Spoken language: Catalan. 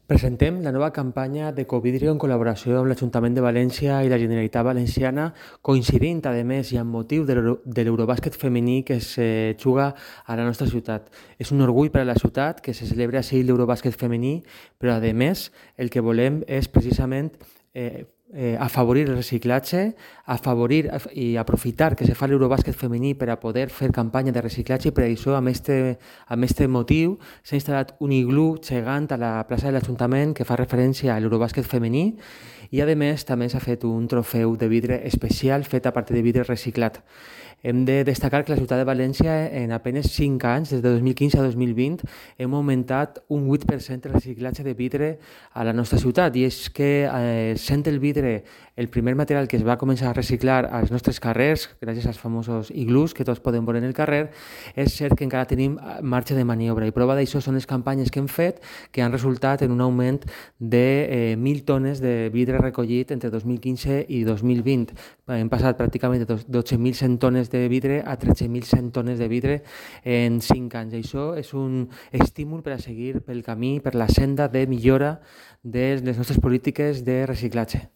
Presentem la nova campanya d'Ecovidrio en col·laboració amb l'Ajuntament de València i la Generalitat Valenciana, coincidint, a més, i amb motiu de l'Eurobàsquet femení que se juga a la nostra ciutat. És un orgull per a la ciutat que se celebra així l'Eurobàsquet femení, però, a més, el que volem és precisament afavorir el reciclatge, afavorir i aprofitar que se fa l'Eurobàsquet femení per a poder fer campanya de reciclatge, i per això, amb este motiu, s'ha instal·lat un iglú gegant a la plaça de l'Ajuntament que fa referència a l'Eurobàsquet femení, i a més també s'ha fet un trofeu de vidre especial fet a partir de vidre reciclat. Hem de destacar que la ciutat de València, en apenas 5 anys, des de 2015 a 2020, hem augmentat un 8% el reciclatge de vidre a la nostra ciutat, i és que sent el vidre el primer material que es va començar a reciclar als nostres carrers, gràcies als famosos iglús que tots podem veure en el carrer, és cert que encara tenim marge de maniobra, i prova d'això són les campanyes que hem fet, que han resultat en un augment de 1.000 tones de vidre recollit entre 2015 i 2020. Hem passat pràcticament de 12.100 tones de vidre a 13.100 tones de vidre en 5 anys. Això és un estímul per a seguir pel camí, per la senda de millora de les nostres polítiques de reciclatge.